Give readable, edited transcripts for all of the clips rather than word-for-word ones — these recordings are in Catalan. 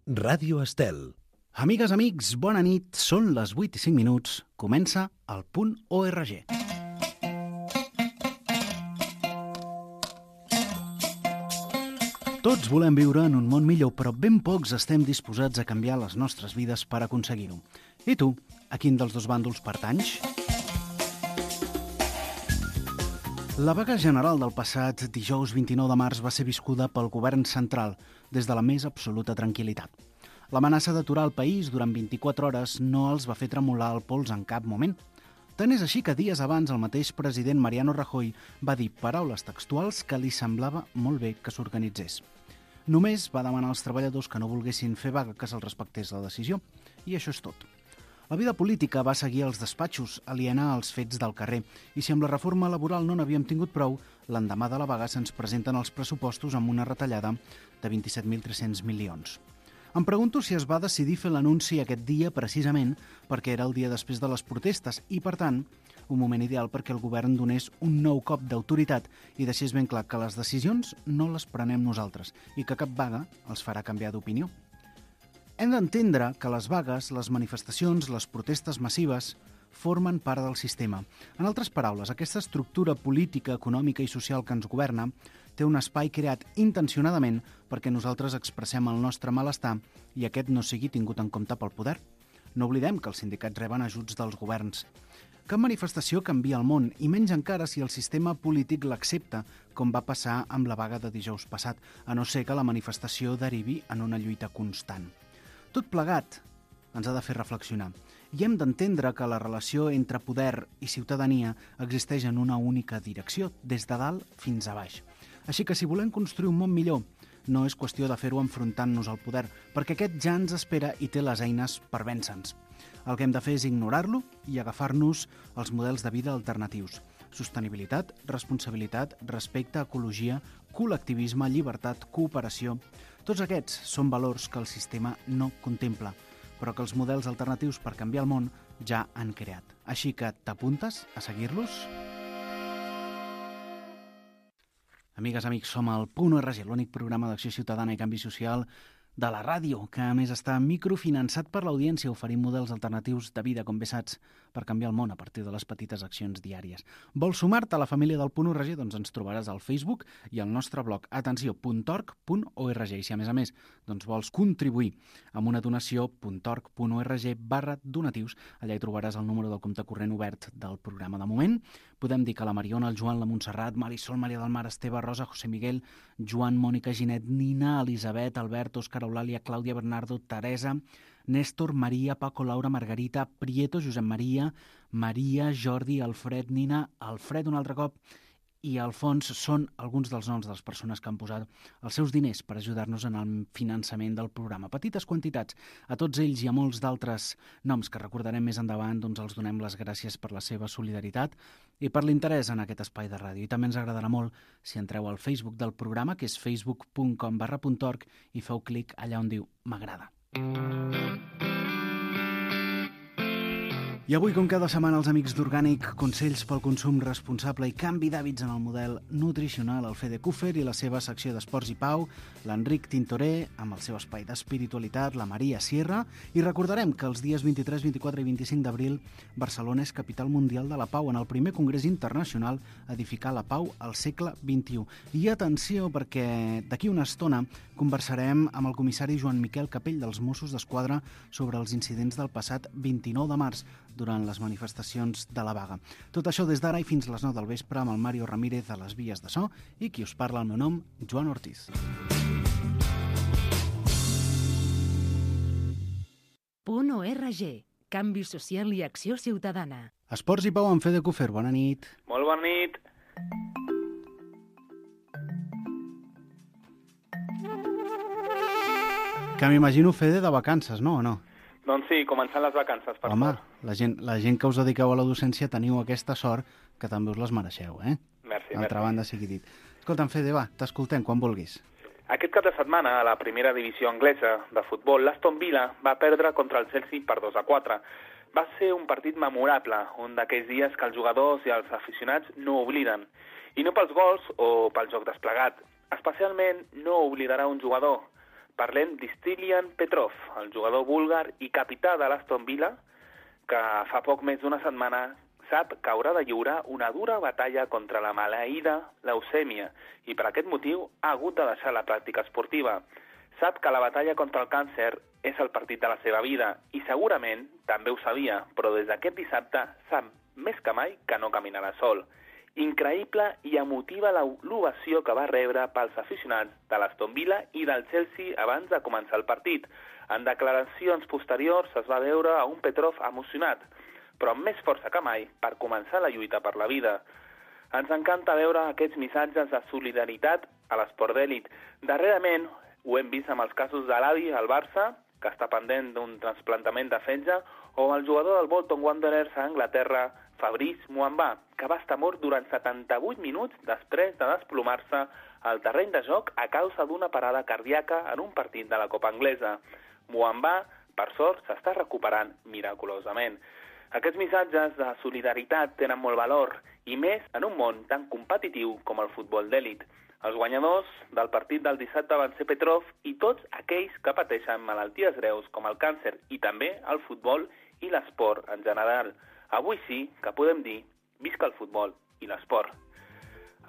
Ràdio Estel. Amigues, amics, bona nit. Són les 8 i 5 minuts. Comença el punt ORG. Tots volem viure en un món millor, però ben pocs estem disposats a canviar les nostres vides per aconseguir-ho. I tu, a quin dels dos bàndols pertanys? La vaga general del passat dijous 29 de març va ser viscuda pel govern central des de la més absoluta tranquil·litat. L'amenaça d'aturar el país durant 24 hores no els va fer tremolar el pols en cap moment. Tant és així que dies abans el mateix president Mariano Rajoy va dir paraules textuals que li semblava molt bé que s'organitzés. Només va demanar als treballadors que no volguessin fer vaga que se'ls respectés la decisió. I això és tot. La vida política va seguir als despatxos, aliena als fets del carrer, i si amb la reforma laboral no n'havíem tingut prou, l'endemà de la vaga se'ns presenten els pressupostos amb una retallada de 27.300 milions. Em pregunto si es va decidir fer l'anunci aquest dia precisament perquè era el dia després de les protestes i, per tant, un moment ideal perquè el govern donés un nou cop d'autoritat i deixés ben clar que les decisions no les prenem nosaltres i que cap vaga els farà canviar d'opinió. Hem d'entendre que les vagues, les manifestacions, les protestes massives formen part del sistema. En altres paraules, aquesta estructura política, econòmica i social que ens governa té un espai creat intencionadament perquè nosaltres expressem el nostre malestar i aquest no sigui tingut en compte pel poder. No oblidem que els sindicats reben ajuts dels governs. Cap manifestació canvia el món, i menys encara si el sistema polític l'accepta, com va passar amb la vaga de dijous passat, a no ser que la manifestació derivi en una lluita constant. Tot plegat ens ha de fer reflexionar i hem d'entendre que la relació entre poder i ciutadania existeix en una única direcció, des de dalt fins a baix. Així que si volem construir un món millor, no és qüestió de fer-ho enfrontant-nos al poder, perquè aquest ja ens espera i té les eines per vèncer-nos. El que hem de fer és ignorar-lo i agafar-nos els models de vida alternatius. Sostenibilitat, responsabilitat, respecte, ecologia, col·lectivisme, llibertat, cooperació. Tots aquests són valors que el sistema no contempla, però que els models alternatius per canviar el món ja han creat. Així que t'apuntes a seguir-los? Amigues, amics, som al Punt ORG, l'únic programa d'acció ciutadana i canvi social de la ràdio, que a més està microfinançat per l'audiència, oferint models alternatius de vida, com bé saps, per canviar el món a partir de les petites accions diàries. Vols sumar-te a la família del Punt ORG? Doncs ens trobaràs al Facebook i al nostre blog atenció.org.org. I si a més doncs vols contribuir amb una donació, .org.org/donatius, allà hi trobaràs el número del compte corrent obert del programa. De moment, podem dir que la Mariona, el Joan, la Montserrat, Marisol, Maria del Mar, Esteve, Rosa, José Miguel, Joan, Mònica, Ginet, Nina, Elisabet, Albert, Òscar, Eulàlia, Clàudia, Bernardo, Teresa, Néstor, Maria, Paco, Laura, Margarita, Prieto, Josep Maria, Maria, Jordi, Alfred, Nina, Alfred un altre cop i Alfons són alguns dels noms de les persones que han posat els seus diners per ajudar-nos en el finançament del programa. Petites quantitats. A tots ells i a molts d'altres noms que recordarem més endavant, doncs els donem les gràcies per la seva solidaritat i per l'interès en aquest espai de ràdio. I també ens agradarà molt si entreu al Facebook del programa, que és facebook.com/.org, i feu clic allà on diu m'agrada. I avui, com cada setmana, els amics d'Orgànic, consells pel consum responsable i canvi d'hàbits en el model nutricional, el Fede Cúfer i la seva secció d'Esports i Pau, l'Enric Tintoré, amb el seu espai d'espiritualitat, la Maria Sierra, i recordarem que els dies 23, 24 i 25 d'abril Barcelona és capital mundial de la pau en el primer congrés internacional Edificar la Pau al segle XXI. I atenció, perquè d'aquí una estona conversarem amb el comissari Joan Miquel Capell dels Mossos d'Esquadra sobre els incidents del passat 29 de març, durant les manifestacions de la vaga. Tot això des d'ara i fins les 9 del vespre amb el Mario Ramírez a les vies de so i qui us parla, el meu nom, Joan Ortiz. Punt ORG. Canvi social i acció ciutadana. Esports i Pau amb Fede Cúfer. Bona nit. Molt bona nit. Que m'imagino, Fede, de vacances, no o no? Doncs sí, començant les vacances, per Home, favor. la gent que us dediqueu a la docència teniu aquesta sort que també us les mereixeu, eh? Merci, D'altra merci. banda, sigui dit. Escolta'm, Fede, va, t'escoltem quan vulguis. Aquest cap de setmana, a la primera divisió anglesa de futbol, l'Aston Villa va perdre contra el Chelsea per 2-4. Va ser un partit memorable, un d'aquells dies que els jugadors i els aficionats no obliden. I no pels gols o pel joc desplegat. Especialment no oblidarà un jugador, Parlem d'Istilian Petrov, el jugador búlgar i capità de l'Aston Villa, que fa poc més d'una setmana sap que haurà de lliurar una dura batalla contra la maleïda leucèmia i per aquest motiu ha hagut de deixar la pràctica esportiva. Sap que la batalla contra el càncer és el partit de la seva vida i segurament també ho sabia, però des d'aquest dissabte sap més que mai que no caminarà sol. Increïble i emotiva l'ovació que va rebre pels aficionats de l'Aston Villa i del Chelsea abans de començar el partit. En declaracions posteriors es va veure a un Petrov emocionat, però amb més força que mai per començar la lluita per la vida. Ens encanta veure aquests missatges de solidaritat a l'esport d'èlit. Darrerament ho hem vist amb els casos de l'Adi al Barça, que està pendent d'un trasplantament de fetge, o el jugador del Bolton Wanderers a Anglaterra, Fabrice Muamba, que va estar mort durant 78 minuts després de desplomar-se al terreny de joc a causa d'una parada cardíaca en un partit de la Copa Anglesa. Muamba, per sort, s'està recuperant miraculosament. Aquests missatges de solidaritat tenen molt valor, i més en un món tan competitiu com el futbol d'èlit. Els guanyadors del partit del dissabte van ser Petrov i tots aquells que pateixen malalties greus com el càncer i també el futbol i l'esport en general. Avui sí que podem dir visca el futbol i l'esport.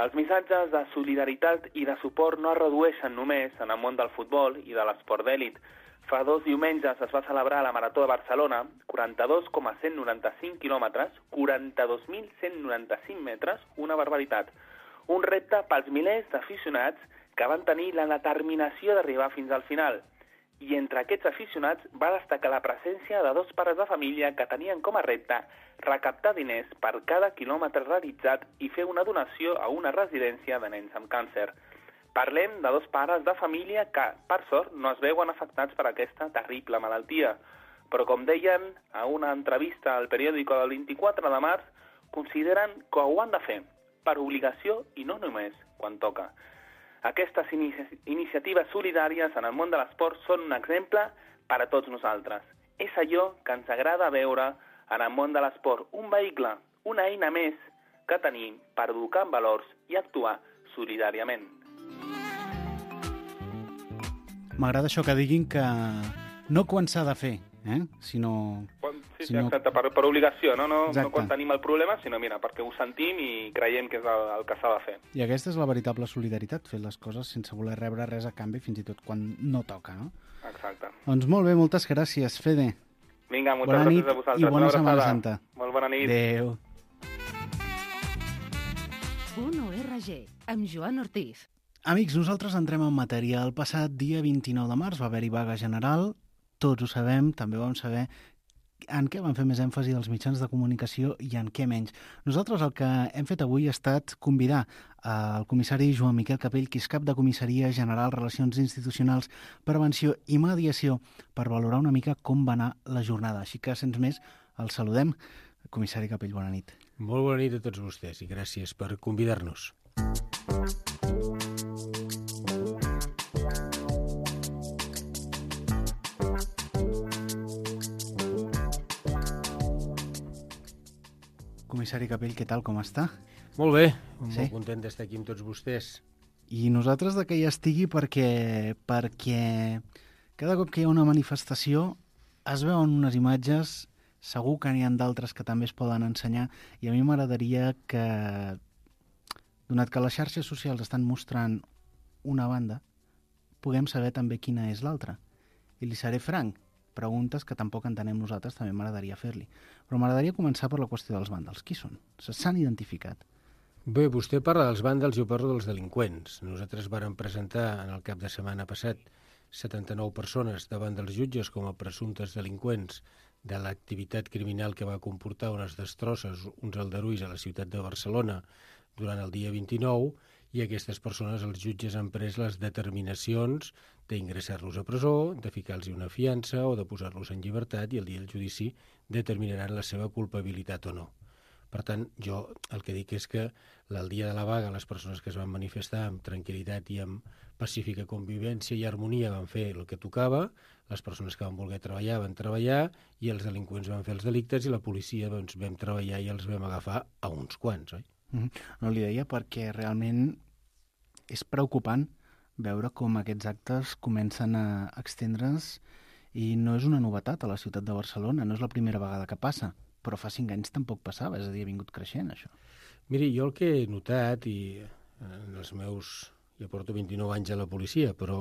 Els missatges de solidaritat i de suport no es redueixen només en el món del futbol i de l'esport d'èlit. Fa 2 diumenges es va celebrar la Marató de Barcelona, 42,195 quilòmetres, 42.195 metres, una barbaritat. Un repte pels milers d'aficionats que van tenir la determinació d'arribar fins al final. I entre aquests aficionats va destacar la presència de 2 pares de família que tenien com a repte recaptar diners per cada quilòmetre realitzat i fer una donació a una residència de nens amb càncer. Parlem de 2 pares de família que, per sort, no es veuen afectats per aquesta terrible malaltia. Però, com deien a una entrevista al periòdico del 24 de març, consideren que ho han de fer per obligació i no només quan toca. Aquestes iniciatives solidàries en el món de l'esport són un exemple per a tots nosaltres. És allò que ens agrada veure en el món de l'esport, un vehicle, una eina més que tenim per educar en valors i actuar solidàriament. M'agrada això que diguin que no quan s'ha de fer, sinó... Sí, exacte, per obligació, no quan tenim el problema, sinó mira, perquè ho sentim i creiem que és el que s'ha de fer. I aquesta és la veritable solidaritat, fer les coses sense voler rebre res a canvi, fins i tot quan no toca, no? Exacte. Doncs molt bé, moltes gràcies, Fede. Vinga, moltes gràcies a vosaltres. I bona Setmana Santa. Molt bona nit. Adéu. .org, amb Joan Ortiz. Amics, nosaltres entrem en matèria. El passat dia 29 de març va haver-hi vaga general, tots ho sabem, també vam saber en què van fer més èmfasi els mitjans de comunicació i en què menys. Nosaltres el que hem fet avui ha estat convidar el comissari Joan Miquel Capell, que és cap de Comissaria General, Relacions Institucionals, Prevenció i Mediació, per valorar una mica com va anar la jornada. Així que, sense més, el saludem. Comissari Capell, bona nit. Molt bona nit a tots vostès i gràcies per convidar-nos. Comissari Capell, què tal, com està? Molt bé, molt content d'estar aquí amb tots vostès. I nosaltres de que hi estigui perquè cada cop que hi ha una manifestació es veuen unes imatges, segur que n'hi ha d'altres que també es poden ensenyar, i a mi m'agradaria que, donat que les xarxes socials estan mostrant una banda, puguem saber també quina és l'altra. I li seré franc, preguntes que tampoc entenem nosaltres, també m'agradaria fer-li. Però m'agradaria començar per la qüestió dels vàndals. Qui són? S'han identificat? Bé, vostè parla dels vàndals, jo parlo dels delinqüents. Nosaltres vàrem presentar en el cap de setmana passat 79 persones davant dels jutges com a presumptes delinqüents de l'activitat criminal que va comportar unes destrosses, uns aldarulls a la ciutat de Barcelona durant el dia 29, i aquestes persones, els jutges han pres les determinacions d'ingressar-los a presó, de ficar-los una fiança o de posar-los en llibertat, i el dia del judici determinaran la seva culpabilitat o no. Per tant, jo el que dic és que el dia de la vaga les persones que es van manifestar amb tranquil·litat i amb pacífica convivència i harmonia van fer el que tocava, les persones que van voler treballar van treballar i els delinqüents van fer els delictes i la policia doncs, vam treballar i els vam agafar a uns quants, oi? No, li deia perquè realment és preocupant veure com aquests actes comencen a extendre's i no és una novetat a la ciutat de Barcelona, no és la primera vegada que passa, però fa 5 anys tampoc passava, és a dir, ha vingut creixent això. Miri, jo el que he notat, i en els meus... Jo porto 29 anys a la policia, però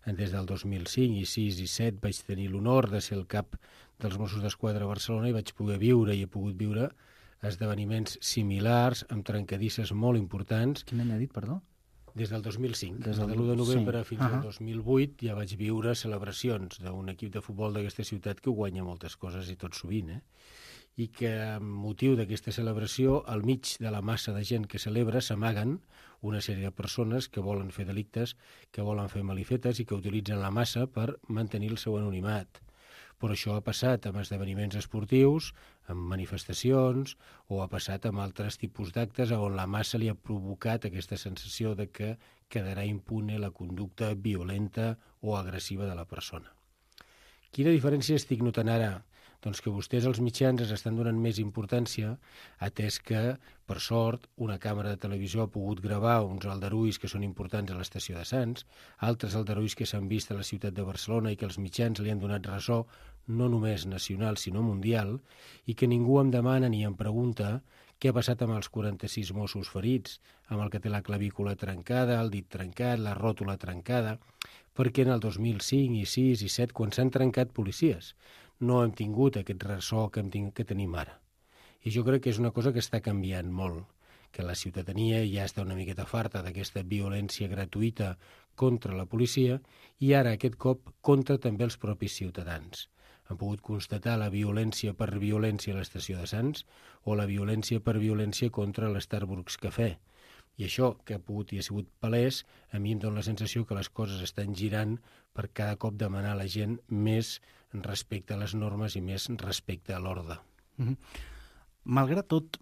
des del 2005 i 6 i 7 vaig tenir l'honor de ser el cap dels Mossos d'Esquadra a Barcelona i vaig poder viure i he pogut viure esdeveniments similars amb trencadisses molt importants. Quin any ha dit, perdó? Des del 2005, des del de l'1 de novembre fins al Uh-huh. 2008 ja vaig viure celebracions d'un equip de futbol d'aquesta ciutat que guanya moltes coses i tot sovint, i que amb motiu d'aquesta celebració, al mig de la massa de gent que celebra, s'amaguen una sèrie de persones que volen fer delictes, que volen fer malifetes i que utilitzen la massa per mantenir el seu anonimat. Però això ha passat amb esdeveniments esportius, amb manifestacions, o ha passat amb altres tipus d'actes on la massa li ha provocat aquesta sensació de que quedarà impune la conducta violenta o agressiva de la persona. Quina diferència estic notant ara? Doncs que vostès, els mitjans, es estan donant més importància, atès que, per sort, una càmera de televisió ha pogut gravar uns aldarulls que són importants a l'estació de Sants, altres aldarulls que s'han vist a la ciutat de Barcelona i que els mitjans li han donat ressò, no només nacional, sinó mundial, i que ningú em demana ni em pregunta què ha passat amb els 46 Mossos ferits, amb el que té la clavícula trencada, el dit trencat, la ròtula trencada, perquè en el 2005 i 6 i 7, quan s'han trencat policies, no hem tingut aquest ressò que tenim ara. I jo crec que és una cosa que està canviant molt, que la ciutadania ja està una miqueta farta d'aquesta violència gratuïta contra la policia i ara aquest cop contra també els propis ciutadans. Han pogut constatar la violència per violència a l'estació de Sants o la violència per violència contra l'Starbucks Cafè. I això, que ha pogut i ha sigut palès, a mi em dona la sensació que les coses estan girant per cada cop demanar a la gent més respecte a les normes i més respecte a l'ordre. Malgrat tot,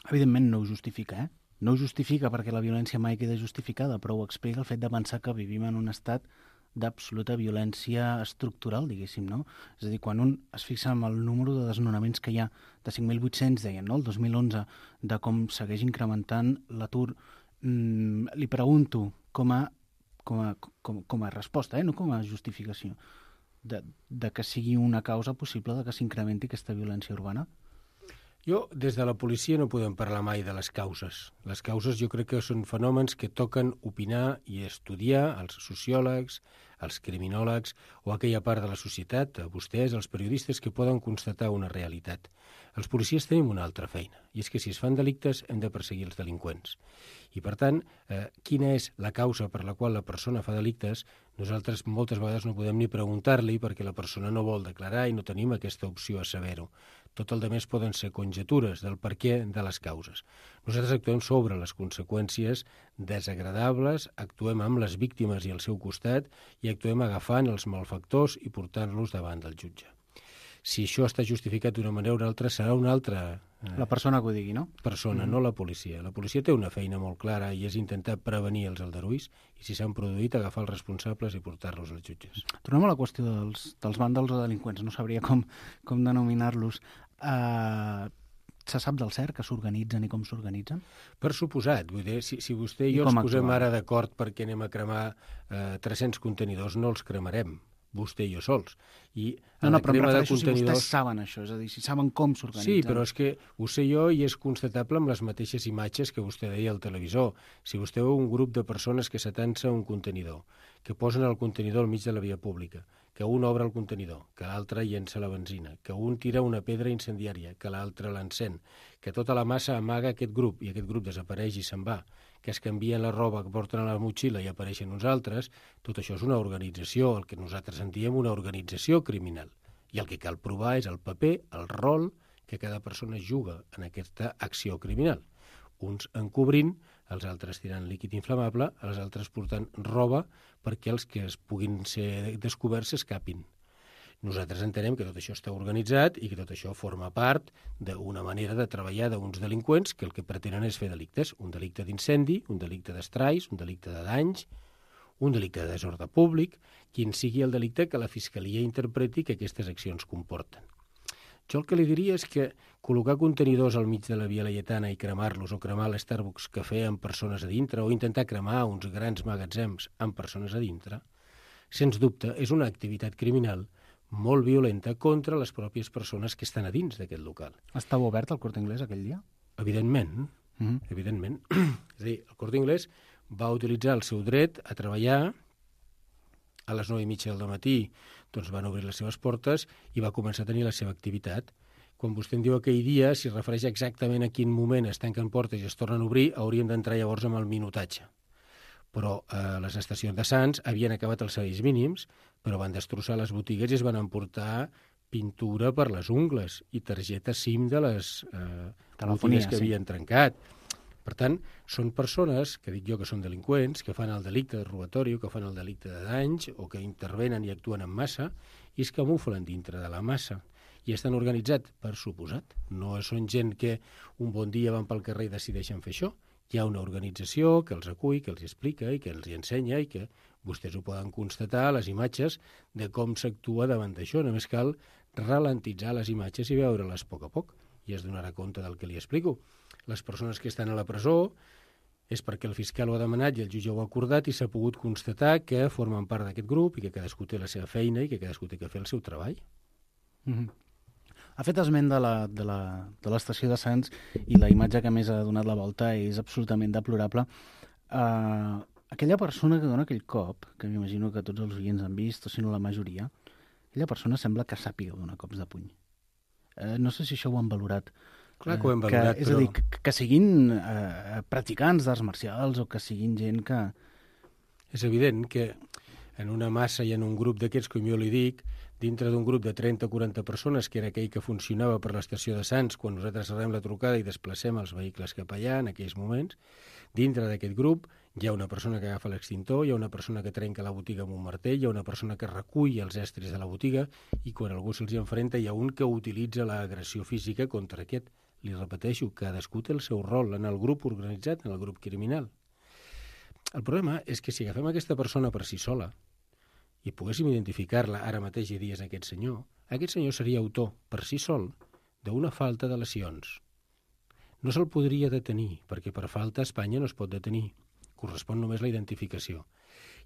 evidentment no ho justifica, No ho justifica perquè la violència mai queda justificada, però ho explica el fet de pensar que vivim en un estat d'absoluta violència estructural, diguéssim, no? És a dir, quan un es fixa en el número de desnonaments que hi ha, de 5.800, deien, no?, el 2011, de com segueix incrementant l'atur, li pregunto com a resposta, no com a justificació, de que sigui una causa possible de que s'incrementi aquesta violència urbana? Jo, des de la policia no podem parlar mai de les causes. Les causes jo crec que són fenòmens que toquen opinar i estudiar als sociòlegs, als criminòlegs o aquella part de la societat, a vostès, els periodistes, que poden constatar una realitat. Els policies tenim una altra feina, i és que si es fan delictes hem de perseguir els delinqüents. I, per tant, quina és la causa per la qual la persona fa delictes, nosaltres moltes vegades no podem ni preguntar-li perquè la persona no vol declarar i no tenim aquesta opció a saber-ho. Tot el demés poden ser conjetures del per què de les causes. Nosaltres actuem sobre les conseqüències desagradables, actuem amb les víctimes i al seu costat i actuem agafant els malfactors i portant-los davant del jutge. Si això està justificat d'una manera o una altra, serà una altra la persona que ho digui, no? Persona, no la policia. La policia té una feina molt clara i és intentar prevenir els aldarulls i, si s'han produït, agafar els responsables i portar-los als jutges. Tornem a la qüestió dels vàndals o delinqüents. No sabria com denominar-los. Se sap del cert que s'organitzen i com s'organitzen? Per suposat. Vull dir, si vostè i jo ens posem ara d'acord perquè anem a cremar 300 contenidors, no els cremarem, vostè i jo sols. I però em refereixo si vostès saben això, és a dir, si saben com s'organitzen. Sí, però és que ho sé jo i és constatable amb les mateixes imatges que vostè deia al televisor. Si vostè veu un grup de persones que s'atansa un contenidor, que posen el contenidor al mig de la via pública, que un obre el contenidor, que l'altre llença la benzina, que un tira una pedra incendiària, que l'altre l'encén, que tota la massa amaga aquest grup i aquest grup desapareix i se'n va, que es canvien la roba, que porten a la motxilla i apareixen uns altres, tot això és una organització, el que nosaltres en diem una organització criminal. I el que cal provar és el paper, el rol que cada persona juga en aquesta acció criminal. Uns encobrint, els altres tirant líquid inflamable, els altres portant roba perquè els que es puguin ser descoberts s'escapin. Nosaltres entenem que tot això està organitzat i que tot això forma part d'una manera de treballar d'uns delinqüents que el que pretenen és fer delictes. Un delicte d'incendi, un delicte d'estralls, un delicte de danys, un delicte de desordre públic, quin sigui el delicte que la Fiscalia interpreti que aquestes accions comporten. Jo el que li diria és que col·locar contenidors al mig de la Via Laietana i cremar-los, o cremar l'Starbucks Cafè amb persones a dintre, o intentar cremar uns grans magatzems amb persones a dintre, sens dubte és una activitat criminal molt violenta contra les pròpies persones que estan a dins d'aquest local. Estava obert el Corte Inglés aquell dia? Evidentment, evidentment. És a dir, el Corte Inglés va utilitzar el seu dret a treballar. A les 9:30 del matí doncs van obrir les seves portes i va començar a tenir la seva activitat. Quan vostè em diu aquell dia, si es refereix exactament a quin moment es tanquen portes i es tornen a obrir, hauríem d'entrar llavors amb el minutatge. Però les estacions de Sants havien acabat els serveis mínims, però van destrossar les botigues i es van emportar pintura per les ungles i targetes SIM de les botigues que havien trencat. Per tant, són persones, que dic jo que són delinqüents, que fan el delicte de robatori, que fan el delicte de danys, o que intervenen i actuen en massa, i es camuflen dintre de la massa. I estan organitzats, per suposat. No són gent que un bon dia van pel carrer i decideixen fer això. Hi ha una organització que els acull, que els explica i que els hi ensenya i que vostès ho poden constatar a les imatges de com s'actua davant d'això. Només cal ralentitzar les imatges i veure-les a poc i es donarà compte del que li explico. Les persones que estan a la presó és perquè el fiscal ho ha demanat i el jutge ho ha acordat i s'ha pogut constatar que formen part d'aquest grup i que cadascú té la seva feina i que cadascú té que fer el seu treball. Ha fet esment de l'estació de Sants i la imatge que més ha donat la volta és absolutament deplorable. Aquella persona que dona aquell cop, que m'imagino que tots els oients han vist, o si no la majoria, aquella persona sembla que sàpiga donar cops de puny. No sé si això ho han valorat. Clar que ho hem valorat, és a dir, que siguin practicants d'arts marcials o que siguin gent que... És evident que en una massa i en un grup d'aquests, com jo li dic, dintre d'un grup de 30 o 40 persones, que era aquell que funcionava per l'estació de Sants, quan nosaltres rebem la trucada i desplacem els vehicles cap allà en aquells moments, dintre d'aquest grup hi ha una persona que agafa l'extintor, hi ha una persona que trenca la botiga amb un martell, hi ha una persona que recull els estris de la botiga i quan algú se'ls enfrenta hi ha un que utilitza l'agressió física contra aquest. Li repeteixo, cadascú té el seu rol en el grup organitzat, en el grup criminal. El problema és que si agafem aquesta persona per si sola i poguéssim identificar-la ara mateix i dies aquest senyor seria autor per si sol d'una falta de lesions. No se'l podria detenir, perquè per falta a Espanya no es pot detenir. Correspon només la identificació.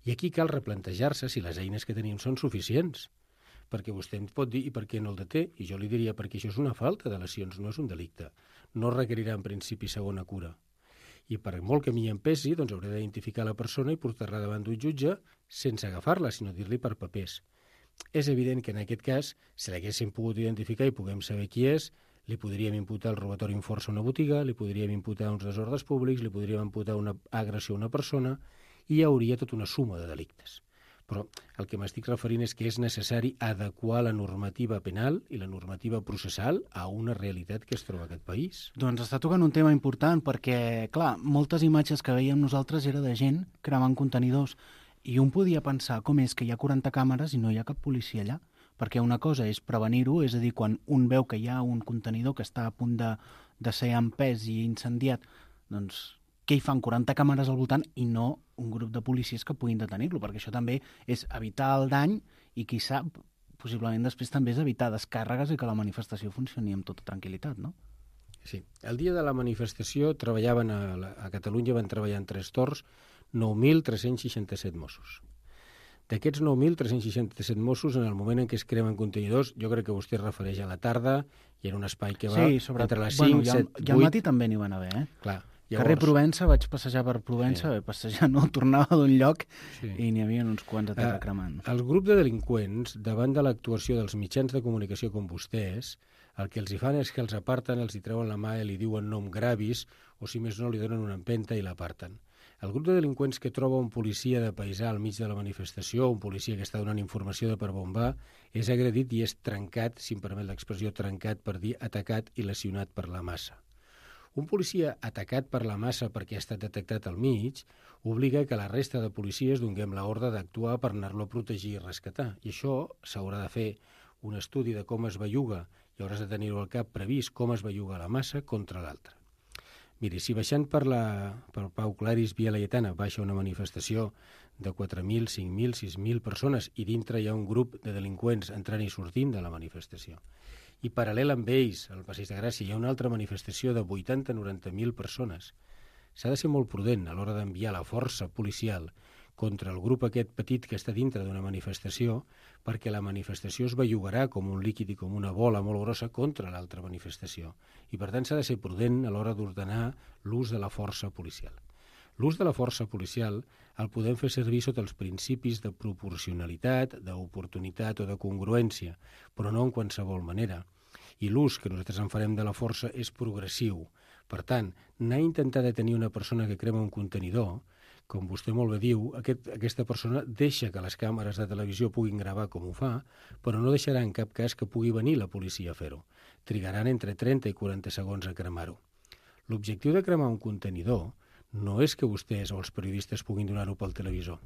I aquí cal replantejar-se si les eines que tenim són suficients. Perquè vostè em pot dir i per què no el deté, i jo li diria perquè això és una falta de lesions, no és un delicte. No requerirà en principi segona cura. I per molt que m'hi empesi, doncs hauré d'identificar la persona i portar-la davant d'un jutge sense agafar-la, sinó dir-li per papers. És evident que en aquest cas, si l'haguéssim pogut identificar i puguem saber qui és, li podríem imputar el robatori amb força a una botiga, li podríem imputar uns desordres públics, li podríem imputar una agressió a una persona i hi hauria tota una suma de delictes. Però el que m'estic referint és que és necessari adequar la normativa penal i la normativa processal a una realitat que es troba a aquest país. Doncs està tocant un tema important perquè, clar, moltes imatges que veiem nosaltres era de gent cremant contenidors i un podia pensar com és que hi ha 40 càmeres i no hi ha cap policia allà. Perquè una cosa és prevenir-ho, és a dir, quan un veu que hi ha un contenidor que està a punt de ser empès i incendiat, doncs què hi fan 40 càmeres al voltant i no un grup de policies que puguin detenir-lo, perquè això també és evitar el dany i qui sap, possiblement després també és evitar descàrregues i que la manifestació funcioni amb tota tranquil·litat, no? Sí. El dia de la manifestació treballaven a Catalunya, van treballar en 3 torns 9.367 Mossos. D'aquests 9.367 Mossos, en el moment en què es cremen contenidors, jo crec que vostè es refereix a la tarda i en un espai que va entre les 5, 7, 8... I al matí també n'hi van haver, Clar. Llavors... Carrer Provença, vaig passejar per Provença, passejar no, tornava d'un lloc i n'hi havia uns quants a terra cremant. El grup de delinqüents, davant de l'actuació dels mitjans de comunicació com vostès, el que els hi fan és que els aparten, els hi treuen la mà i li diuen nom gravis, o si més no li donen una empenta i l'aparten. El grup de delinqüents que troba un policia de paisà al mig de la manifestació, un policia que està donant informació de per bombar, és agredit i és trencat, si em permet l'expressió trencat, per dir atacat i lesionat per la massa. Un policia atacat per la massa perquè ha estat detectat al mig obliga que la resta de policies donguem l'ordre d'actuar per anar-lo a protegir i rescatar. I això s'haurà de fer un estudi de com es belluga i hauràs de tenir-ho al cap previst com es belluga la massa contra l'altra. Miri, si baixant per Pau Claris, Via Laietana, baixa una manifestació de 4.000, 5.000, 6.000 persones i dintre hi ha un grup de delinqüents entrant i sortint de la manifestació i paral·lel amb ells, al Passeig de Gràcia, hi ha una altra manifestació de 80-90.000 persones. S'ha de ser molt prudent a l'hora d'enviar la força policial contra el grup aquest petit que està dintre d'una manifestació, perquè la manifestació es bellugarà com un líquid i com una bola molt grossa contra l'altra manifestació. I per tant s'ha de ser prudent a l'hora d'ordenar l'ús de la força policial. L'ús de la força policial el podem fer servir sota els principis de proporcionalitat, d'oportunitat o de congruència, però no en qualsevol manera. I l'ús que nosaltres en farem de la força és progressiu. Per tant, anar a intentar detenir una persona que crema un contenidor, com vostè molt bé diu, aquesta persona deixa que les càmeres de televisió puguin gravar com ho fa, però no deixarà en cap cas que pugui venir la policia a fer-ho. Trigaran entre 30 i 40 segons a cremar-ho. L'objectiu de cremar un contenidor no és que vostès o els periodistes puguin donar-ho pel televisor.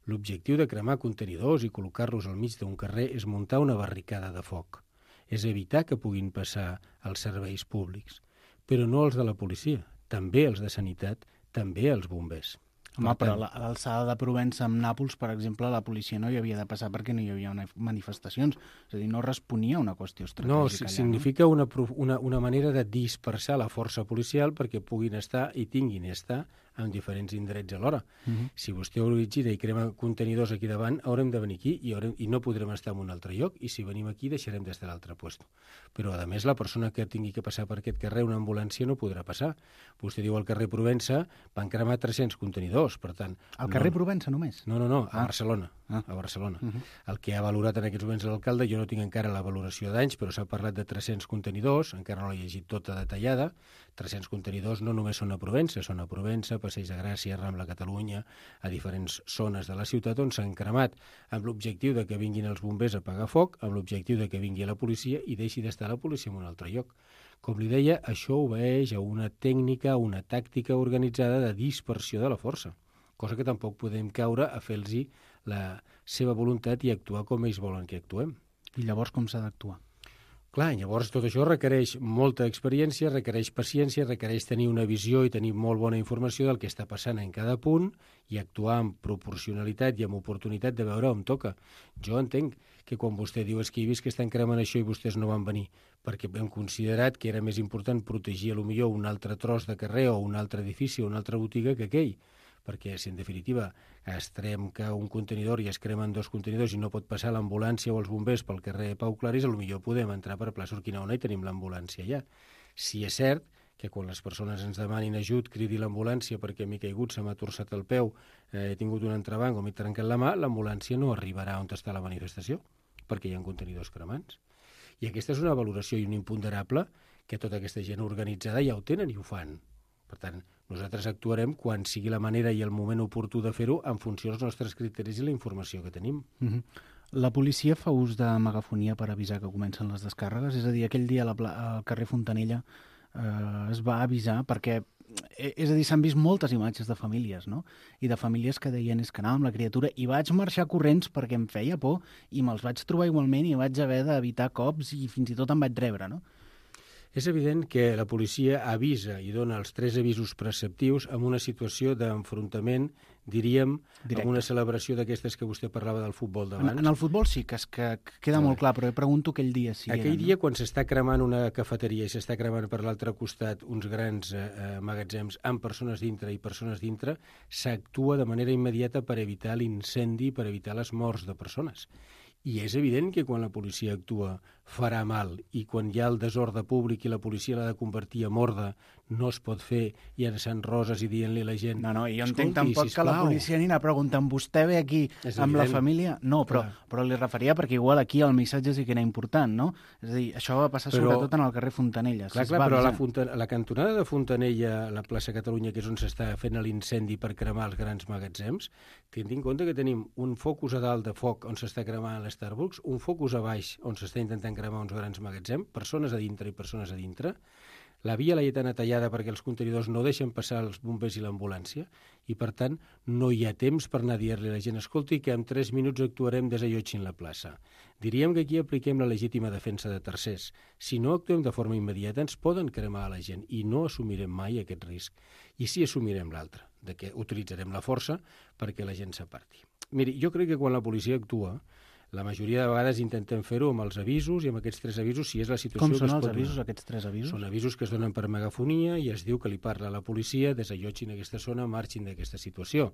L'objectiu de cremar contenidors i col·locar-los al mig d'un carrer és muntar una barricada de foc. És evitar que puguin passar els serveis públics, però no els de la policia, també els de sanitat, també els bombers. Home, però a l'alçada de Provença amb Nàpols, per exemple, la policia no hi havia de passar perquè no hi havia manifestacions. És a dir, no responia a una qüestió estratègica. No, significa una manera de dispersar la força policial perquè puguin estar i tinguin estar en diferents indrets alhora. Si vostè origina i crema contenidors aquí davant, haurem de venir aquí i no podrem estar en un altre lloc, i si venim aquí deixarem d'estar a l'altre lloc. Però, a més, la persona que tingui que passar per aquest carrer, una ambulància, no podrà passar. Vostè diu al carrer Provença van cremar 300 contenidors, per tant... Al carrer Provença només? No, a Barcelona. A Barcelona. El que ha valorat en aquests moments l'alcalde, jo no tinc encara la valoració d'anys, però s'ha parlat de 300 contenidors, encara no l'he llegit tota detallada. 300 contenidors no només són a Provença, Passeig de Gràcia, Rambla Catalunya, a diferents zones de la ciutat on s'han cremat, amb l'objectiu de que vinguin els bombers a apagar foc, amb l'objectiu de que vingui la policia i deixi d'estar la policia en un altre lloc. Com li deia, això obeeix a una tècnica, una tàctica organitzada de dispersió de la força, cosa que tampoc podem caure a fer-los la seva voluntat i actuar com ells volen que actuem. I llavors com s'ha d'actuar? Clar, llavors tot això requereix molta experiència, requereix paciència, requereix tenir una visió i tenir molt bona informació del que està passant en cada punt i actuar amb proporcionalitat i amb oportunitat de veure on toca. Jo entenc que quan vostè diu que he vist que estan cremant això i vostès no van venir, perquè hem considerat que era més important protegir potser un altre tros de carrer o un altre edifici o una altra botiga que aquell, perquè si en definitiva es trenca un contenidor i es cremen 2 contenidors i no pot passar l'ambulància o els bombers pel carrer Pau Claris, potser podem entrar per plaça Urquinaona i tenim l'ambulància allà. Si és cert que quan les persones ens demanin ajut, cridi l'ambulància perquè m'he caigut, se m'ha torçat el peu, he tingut un entrebanc o m'he trencat la mà, l'ambulància no arribarà on està la manifestació, perquè hi ha contenidors cremants. I aquesta és una valoració i un imponderable que tota aquesta gent organitzada ja ho tenen i ho fan. Per tant, nosaltres actuarem quan sigui la manera i el moment oportú de fer-ho en funció dels nostres criteris i la informació que tenim. La policia fa ús de megafonia per avisar que comencen les descàrregues? És a dir, aquell dia al carrer Fontanella es va avisar perquè... És a dir, s'han vist moltes imatges de famílies, no? I de famílies que deien és que anava amb la criatura i vaig marxar corrents perquè em feia por i me'ls vaig trobar igualment i vaig haver d'evitar cops i fins i tot em vaig rebre, no? És evident que la policia avisa i dona els 3 avisos preceptius en una situació d'enfrontament, diríem, directe. En una celebració d'aquestes que vostè parlava del futbol d'abans. En el futbol sí, que queda molt clar, però pregunto aquell dia si aquell dia, quan s'està cremant una cafeteria i s'està cremant per l'altre costat uns grans magatzems amb persones dintre i persones dintre, s'actua de manera immediata per evitar l'incendi, per evitar les morts de persones. I és evident que quan la policia actua farà mal i quan hi ha el desordre públic i la policia l'ha de convertir en ordre no es pot fer llançant roses i dient-li a la gent... No, jo entenc tampoc que la policia ni anar preguntant vostè ve aquí amb la família... No, però li referia perquè igual aquí el missatge sí que era important, no? És a dir, això va passar sobretot en el carrer Fontanella. Clar, però la cantonada de Fontanella, la plaça Catalunya, que és on s'està fent l'incendi per cremar els grans magatzems, tenint en compte que tenim un focus a dalt de foc on s'està cremant l'Starbucks, un focus a baix on s'està intentant cremar uns grans magatzems, persones a dintre i persones a dintre. La via laietana tallada perquè els contenidors no deixen passar els bombers i l'ambulància i, per tant, no hi ha temps per anar a dir-li a la gent escolti que en 3 minuts actuarem desallotgint la plaça. Diríem que aquí apliquem la legítima defensa de tercers. Si no actuem de forma immediata ens poden cremar a la gent i no assumirem mai aquest risc. I sí assumirem l'altre, de que utilitzarem la força perquè la gent s'aparti. Miri, jo crec que quan la policia actua La majoria de vegades intentem fer-ho amb els avisos i amb aquests 3 avisos, si és la situació Com que són es els pot avisos, donar. aquests 3 avisos? Són avisos que es donen per megafonia i es diu que li parla a la policia, desallotgin aquesta zona, marxin d'aquesta situació.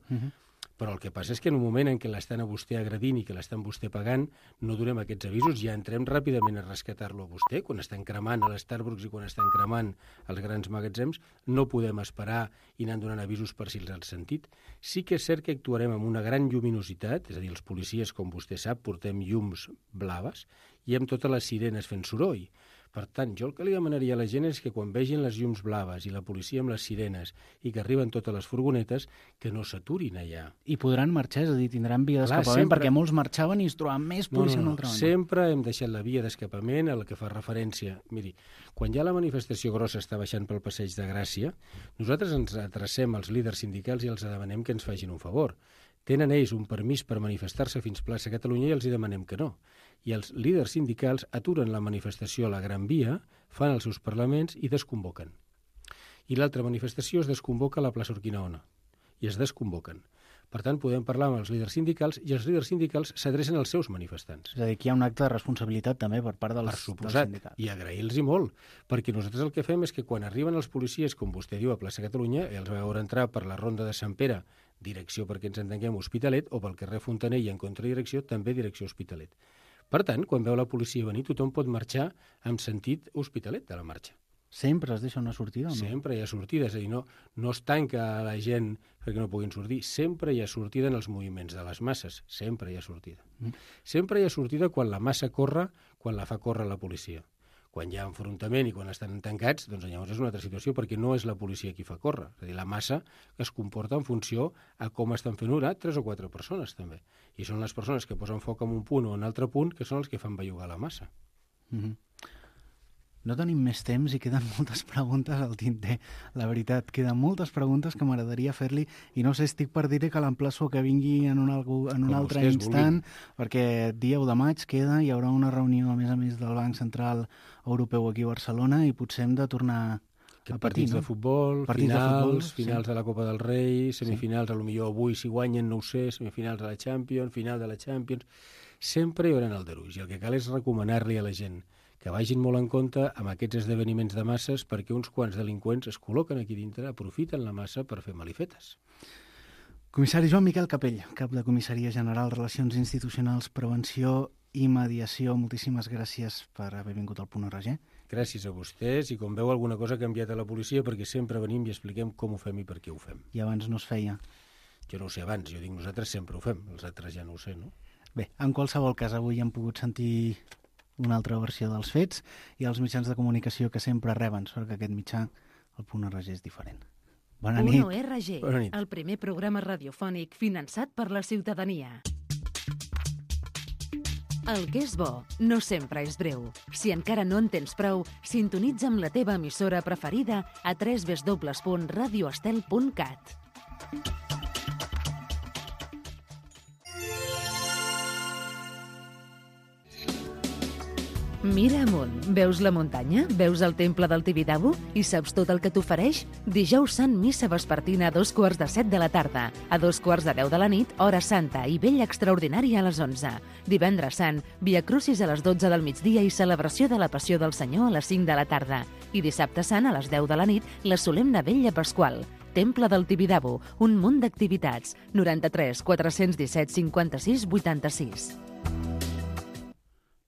Però el que passa és que en un moment en què l'estan a vostè agredint i que l'estan vostè pagant, no donem aquests avisos, ja entrem ràpidament a rescatar-lo a vostè. Quan estan cremant a l'Starbucks i quan estan cremant als grans magatzems, no podem esperar i anar donant avisos per si els han sentit. Sí que és cert que actuarem amb una gran lluminositat, és a dir, els policies, com vostè sap, portem llums blaves i amb totes les sirenes fent soroll. Per tant, jo el que li demanaria a la gent és que quan vegin les llums blaves i la policia amb les sirenes i que arriben totes les furgonetes, que no s'aturin allà. I podran marxar, és a dir, tindran via d'escapament, perquè molts marxaven i es trobaven més policia a una altra banda. Sempre hem deixat la via d'escapament a la que fa referència. Miri, quan ja la manifestació grossa està baixant pel Passeig de Gràcia, nosaltres ens adrecem als líders sindicals i els demanem que ens facin un favor. Tenen ells un permís per manifestar-se fins plaça Catalunya i els hi demanem que no. I els líders sindicals aturen la manifestació a la Gran Via, fan els seus parlaments i desconvoquen. I l'altra manifestació es desconvoca a la plaça Urquinaona i es desconvoquen. Per tant, podem parlar amb els líders sindicals i els líders sindicals s'adrecen als seus manifestants. És a dir, que hi ha un acte de responsabilitat també per part dels sindicats. I agrair-los molt, perquè nosaltres el que fem és que quan arriben els policies, com vostè diu, a plaça Catalunya, els va veure entrar per la ronda de Sant Pere, direcció, perquè ens entenguem, Hospitalet, o pel carrer Fontanell en contradirecció, també direcció Hospitalet. Per tant, quan veu la policia venir, tothom pot marxar amb sentit Hospitalet de la marxa. Sempre es deixa una sortida o no? Sempre hi ha sortida, és a dir, no es tanca a la gent perquè no puguin sortir. Sempre hi ha sortida en els moviments de les masses. Sempre hi ha sortida. Sempre hi ha sortida quan la massa corre, quan la fa córrer la policia. Quan hi ha enfrontament i quan estan tancats, doncs llavors és una altra situació, perquè no és la policia qui fa córrer. És a dir, la massa es comporta en funció a com estan fent orar 3 o 4 persones, també. I són les persones que posen foc en un punt o en un altre punt que són els que fan bellugar la massa. No tenim més temps i queden moltes preguntes al tinter. La veritat, queden moltes preguntes que m'agradaria fer-li i no sé, estic per dir que l'emplaço que vingui en un altre instant, perquè dia 1 de maig queda, hi haurà una reunió a més del Banc Central Europeu aquí a Barcelona i potser hem de tornar a partits de futbol, finals de la Copa del Rei, semifinals, a lo millor avui si guanyen, no ho sé, semifinals de la Champions, final de la Champions. Sempre hi haurà aldarulls i el que cal és recomanar-li a la gent que vagin molt en compte amb aquests esdeveniments de masses perquè uns quants delinqüents es col·loquen aquí dintre, aprofiten la massa per fer malifetes. Comissari Joan Miquel Capell, cap de Comissaria General, Relacions Institucionals, Prevenció i Mediació. Moltíssimes gràcies per haver vingut al Punt RG. Gràcies a vostès i com veu alguna cosa ha canviat a la policia perquè sempre venim i expliquem com ho fem i per què ho fem. I abans no es feia? Jo no ho sé abans, jo dic nosaltres sempre ho fem, els altres ja no ho sé, no? Bé, en qualsevol cas, avui hem pogut sentir una altra versió dels fets i els mitjans de comunicació que sempre reben, sort que aquest mitjà, el Punt RG, és diferent. Bona nit. Punt RG, el primer programa radiofònic finançat per la ciutadania. El que és bo no sempre és breu. Si encara no en tens prou, sintonitza amb la teva emissora preferida a www.radioestel.cat. Mira amunt. Veus la muntanya? Veus el temple del Tibidabo? I saps tot el que t'ofereix? Dijous Sant, missa vespertina a 7:15 de la tarda. A 10:10 de la nit, hora santa i vella extraordinària a les 11. Divendres Sant, Via Crucis a les 12 del migdia i celebració de la Passió del Senyor a les 5 de la tarda. I dissabte Sant, a les 10 de la nit, la solemne vella pasqual. Temple del Tibidabo, un munt d'activitats. 93 417 56 86.